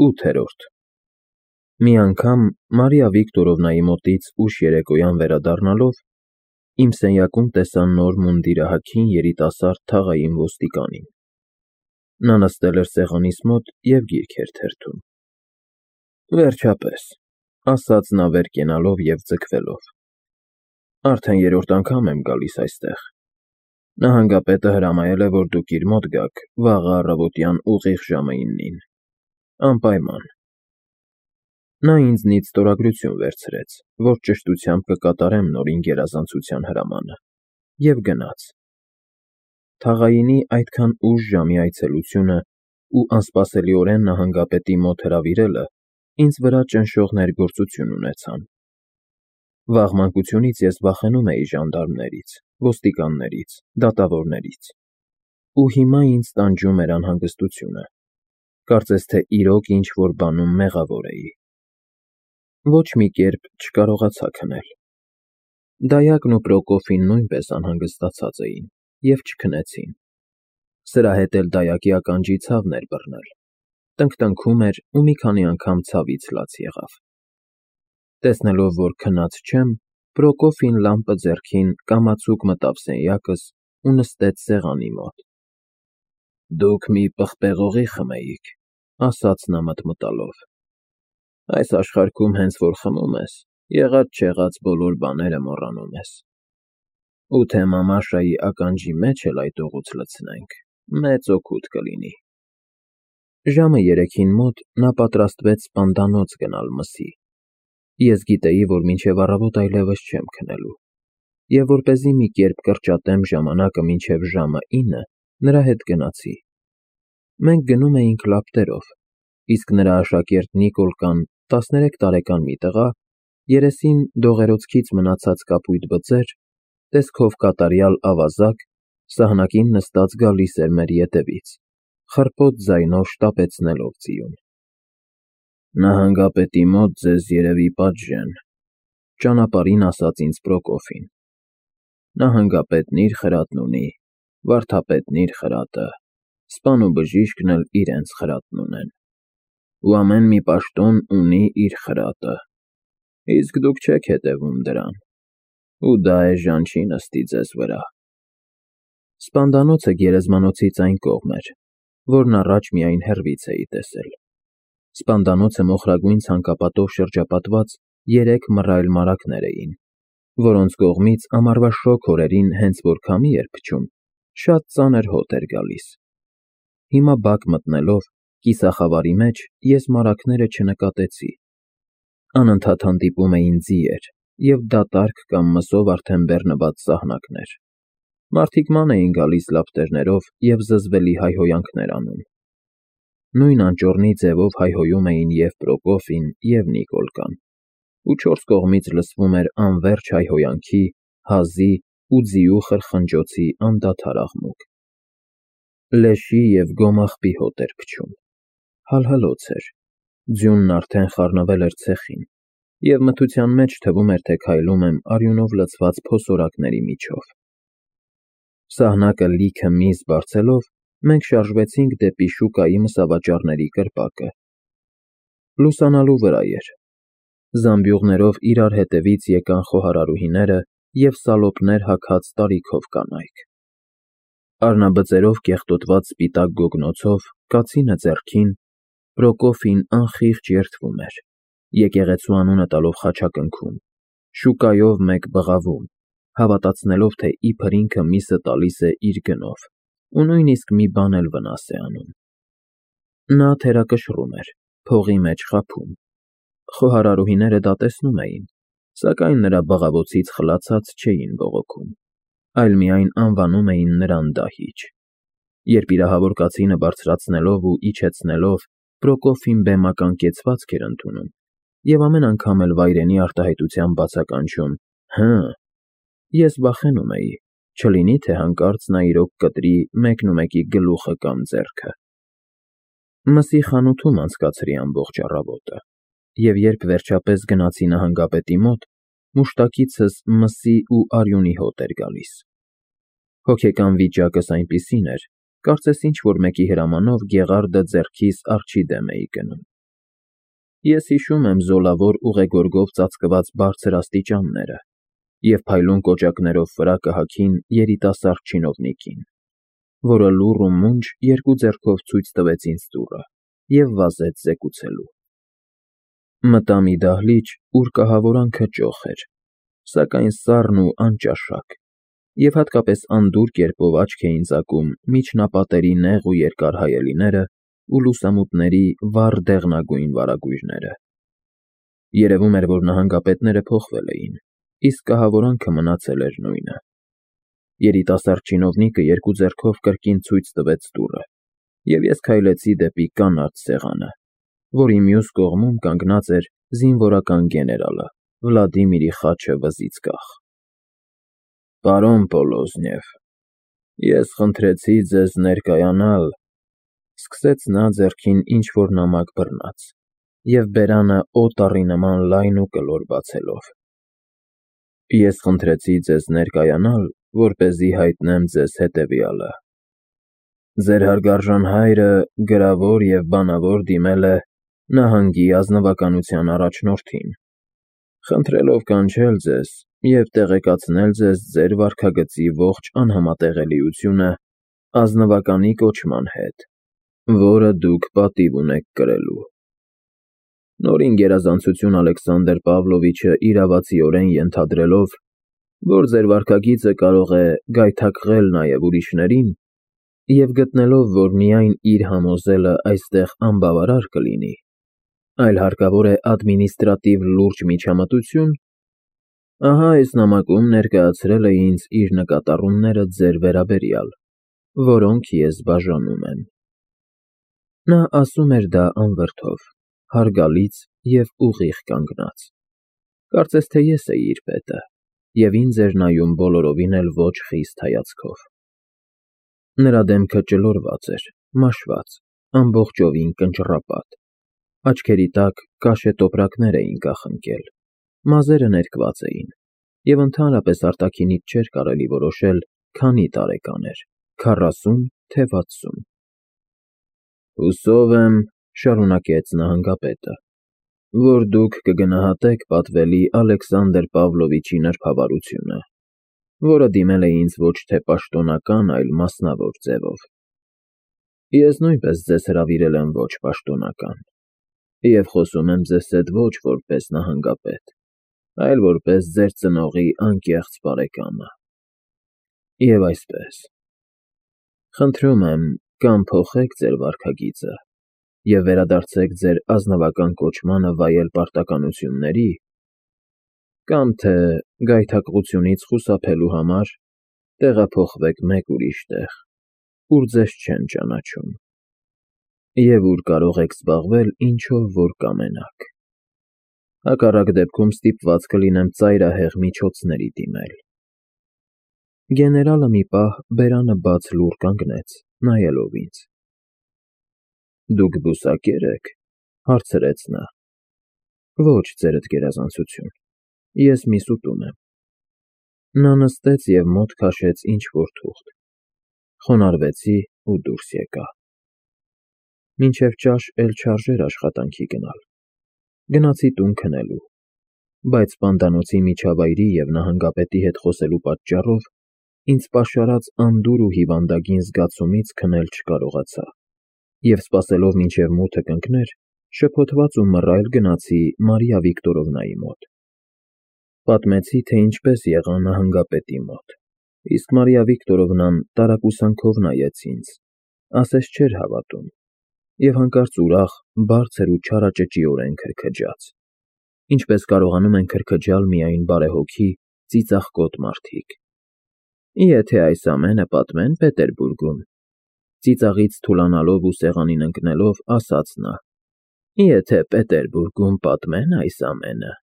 8-րդ Մի անգամ Մարիա Վիկտորովնայի մոտից ուշ երեկոյան վերադառնալով իմ սենյակում տեսա նոր մունդիրահագին երիտասարդ թաղային ոստիկանին։ Նա նստել էր սեղանիս մոտ և գիրք էր թերթում։ Վերջապես, ասաց նա վեր կենալով և ձգվելով, արդեն երրորդ անգամ եմ գալիս այստեղ։ Նահանգապետը հրամայել է, որ դուք իր մոտ գաք վաղը առավոտյան ուղիղ ժամը 9-ին, անպայման։ Նա ինձնից ստորագրություն վերցրեց, որ ճշտությամբ կկատարեմ նորին գերազանցության հրամանը, և գնաց։ Թաղայինի այդքան ուշ ժամի այցելությունն ու անսպասելիորեն նահանգապետի մոտ հրավիրելը ինձ վրա ճնշող ներգործություն ունեցան։ Վաղ մանկությունից ես վախենում էի ժանդարմներից, ոստիկաններից, դատավորներից, ու հիմա ինձ տանջում էր անհանգստությունը, կարծես թե իրոք ինչ-որ բանում մեղավոր էի։ Ոչ մի կերպ չկարողացա քնել։ Դայակն ու Պրոկոֆին նույնպես անհանգստացած էին և չքնեցին։ Սրա հետ էլ դայակի ականջի ցավն էր բռնել, տնկտնքում էր ու մի քանի անգամ ցավից լաց եղավ։ Տեսնելով, որ քնած չեմ, Պրոկոֆին լամպը ձեռքին կամացուկ մտավ սենյակս ու նստեց սեղանի մոտ։ Դուք մի պղպեղողի խմեիք, ասաց նա մտմտալով։ Այս աշխարհքում հենց որ խմում ես, եղած-չեղած բոլոր բաները մոռանում ես։ Ու թե մամաշայի ականջի մեջ էլ այդ օղուց լցնենք, մեծ օգուտ կլինի։ Ժամը 3-ին մոտ նա պատրաստվեց սպանդանոց գնալ մսի։ Ես գիտեի, որ մինչև առավոտ այլևս չեմ քնելու, և որպեսզի մի կերպ կրճատեմ ժամանակը մինչև ժամը 9, նրա հետ գնացի։ Մենք գնում էինք լապտերով, իսկ նրա աշակերտ Նիկոլկան, 13 տարեկան մի տղա, երեսին դողերոցքից մնացած կապույտ բծեր, տեսքով կատարյալ ավազակ, սահնակին նստած գալիս էր մեր ետևից, խռպոտ ձայնով շտապեցնելով ձիուն։ Նահանգապետի մոտ ձեզ երևի պատժեն, ճանապարհին ասաց ինձ Պրոկոֆին։ Նահանգապետն իր խրատն ունի, վարդապետն իր խրատը, սպան ու բժիշկն էլ իրենց խրատն ունեն, ու ամեն մի պաշտոն ունի իր խրատը, իսկ դուք չեք հետևում դրան, ու դա էժան չի նստի ձեզ վրա։ Սպանդանոցը գերեզմանոցից այն կողմ էր, որն առաջ միայն հեռվից էի տեսել։ Սպանդանոցը մոխրագույն ցանկապատով շրջապատված 3 մռայլ մարագներ էին, որոնց կողմից ամառվա շոգ օրերին հենց որ քամի էր փչում, շատ ծանր հոտ էր գալիս։ Հիմա բակ մտնելով, կիսախավարի մեջ ես մարագները չնկատեցի։ Անընդհատ հանդիպում էին ձիեր և դատարկ կամ մսով արդեն բեռնված սահնակներ։ Մարդիկ ման էին գալիս լապտերներով և զզվելի հայհոյանքներ անում։ Նույն անճոռնի ձևով հայհոյում էին և Պրոկոֆին, և Նիկոլկան, ու 4 կողմից լսվում էր անվերջ հայհոյանքի, հազի ու ձիու խրխնջոցի անդադար աղմուկ։ Լեշի և գոմաղբի հոտ էր փչում։ Հալհլոց էր, ձյունն արդեն խառնվել էր ցեխին, և մթության մեջ թվում էր, թե քայլում եմ արյունով լցված փոսորակների միջով։ Սահնակը լիքը միս բարձելով, մենք շարժվեցինք դեպի շուկայի մսավաճառների կրպակը։ Լուսանալու վրա էր։ Զամբյուղներով իրար հետևից եկան խոհարարուհիները և սալոպներ հագած տարիքով կանայք։ Առնաբծերով կեղտոտված սպիտակ գոգնոցով, կացինը ձեռքին, Պրոկոֆին անխիղճ երդվում էր, եկեղեցու անունը տալով խաչակնքում, շուկայով մեկ բղավում, հավատացնելով, թե իբր ինքը միսը տալիս է իր գնով, ու նույնիսկ մի բան էլ վնաս է անում։ Նա թերակշռում էր, փողի մեջ խաբում։ Խոհարարուհիները դա տեսնում էին, սակայն նրա բղավոցից խլացած չէին բողոքում, այլ միայն անվանում էին նրան դահիճ։ Երբ իրահավոր կացինը բարձրացնելով ու իջեցնելով, Պրոկոֆին բեմական կեցվածք էր ընդունում և ամեն անգամ էլ վայրենի արտահայտությամբ բացականչում «հը», ես վախենում էի, չլինի թե հանկարծ նա իրոք կտրի մեկնումեկի գլուխը կամ ձեռքը։ Մսի խանութում անցկացրի ամբողջ առավոտը, և երբ վերջապես գնացի նահանգապետի մոտ, մուշտակիցս մսի ու արյունի հոտ էր գալիս։ Հոգեկան վիճակս այնպիսին էր, կարծես ինչ-որ մեկի հրամանով Գեղարդը ձեռքիս արջի դեմ էի գնում։ Ես հիշում եմ զոլավոր ուղեգորգով ծածկված բարձր աստիճանները և փայլուն կոճակներով վրա կհաքին երիտասարդ չինովնիկին, որը լուռ ու մունջ երկու ձեռքով ցույց տվեց ինձ դուռը և վազեց զեկուցելու։ Մտա մի դահլիճ, ուր կահավորանքը ճոխ էր, սակայն սառն ու անճաշակ, և հատկապես անդուր կերպով աչք էին ծակում միջնապատերի նեղ ու երկար հայելիները ու լուսամուտների վառ դեղնագույն վարագույրները։ Երևում էր, որ նահանգապետները փոխվել էին, իսկ կահավորանքը մնացել էր նույնը։ Երիտասարդ չինովնիկը երկու ձեռքով կրկին ցույց տվեց դուռը, և ես քայլեցի դեպի կանաչ սեղանը, որի մյուս կողմում կանգնած էր զինվորական գեներալը Վլադիմիրի խաչը վզից կախ։ Պարոն Պոլոզնև, ես խնդրեցի ձեզ ներկայանալ, սկսեց նա ձեռքին ինչ-որ նամակ բռնած և բերանը օտարի նման լայն ու կլոր բացելով։ Ես խնդրեցի ձեզ ներկայանալ, որպեսզի հայտնեմ ձեզ հետևյալը. ձեր հարգարժան հայրը գրավոր և բանավոր դիմել է նահանգի ազնվականության առաջնորդին, խնդրելով կանչել ձեզ և տեղեկացնել ձեզ ձեր վարքագծի ողջ անհամատեղելիությունը ազնվականի կոչման հետ, որը դուք պատիվ ունեք կրելու։ Նորին գերազանցություն Ալեքսանդր Պավլովիչը իրավացիորեն ենթադրելով, որ ձեր վարքագիծը կարող է գայթակղել նաև ուրիշներին, և գտնելով, որ միայն իր համոզելը այստեղ անբավարար կլինի, այլ հարկավոր է ադմինիստրատիվ լուրջ միջամտություն, ահա այս նամակում ներկայացրել է ինձ իր նկատառումները ձեր վերաբերյալ, որոնք ես բաժանում եմ։ Նա ասում էր դա անվրդով, հարգալից և ուղիղ կանգնած, կարծես թե ես էի իր պետը, և ինձ էր նայում բոլորովին էլ ոչ խիստ հայացքով։ Նրա դեմքը ճլորված էր, մաշված, ամբողջովին կնճռապատ, աչքերի տակ կաշե տոպրակներ էին կախնկել, մազերը ներկված էին, և ընդհանրապես արտաքինից չէր կարելի որոշել քանի տարեկան էր՝ 40, թե 60։ Հուսով եմ, շարունակեց նահանգապետը, որ դուք կգնահատեք պատվելի Ալեքսանդր Պավլովիչի նրբավարությունը, որը դիմել է ինձ ոչ թե պաշտոնական, այլ մասնավոր ձևով։ Ես նույնպես ձեզ հրավիրել եմ ոչ պաշտոնական, և խոսում եմ ձեզ հետ ոչ որպես նահանգապետ, այլ որպես ձեր ծնողի անկեղծ բարեկամը։ Եվ այսպես, խնդրում եմ, կամ փոխեք ձեր վարքագիծը և վերադարձեք ձեր ազնվական կոչմանը վայել պարտականությունների, կամ թե գայթակղությունից խուսափելու համար տեղափոխվեք մեկ ուրիշ տեղ, ուր ձեզ չեն ճանաչում, և ուր կարող եք զբաղվել ինչով որ կամենաք։ Հակառակ դեպքում ստիպված կլինեմ ծայրահեղ միջոցների դիմել։ Գեներալը մի պահ բերանը բաց լուռ կանգնեց, նայելով ինձ։ Դուք բուսակե՞ր եք, հարցրեց նա։ Ոչ, ձերդ գերազանցություն, ես մի սուտում եմ։ Նա նստեց և մոտ քաշեց ինչ-որ թուղթ։ Խոնարհվեցի ու դուրս եկա։ Մինչև ճաշ էլ չարժեր աշխատանքի գնալ։ Գնացի տուն քնելու, բայց պանդանոցի միջավայրի և նահանգապետի հետ խոսելու պատճառով ինձ պաշարած անդուր ու հիվանդագին զգացումից քնել չկարողացա, և սպասելով մինչև մութը կընկներ, շփոթված ու մռայլ գնացի Մարիա Վիկտորովնայի մոտ։ Պատմեցի, թե ինչպես եղա նահանգապետի մոտ, իսկ Մարիա Վիկտորովնան տարակուսանքով նայեց ինձ, ասես չէր հավատում, և հանկարծ ուրախ, բարձր ու չարաճճիորեն քրքջաց, ինչպես կարողանում են քրքջալ միայն բարեհոգի, ծիծաղկոտ մարդիկ։ Եթե այս ամենը պատմեն Պետերբուրգում, ծիծաղից թուլանալով ու սեղանին ընկնելով, ասաց նա, եթե Պետերբուրգում պատմեն այս ամենը,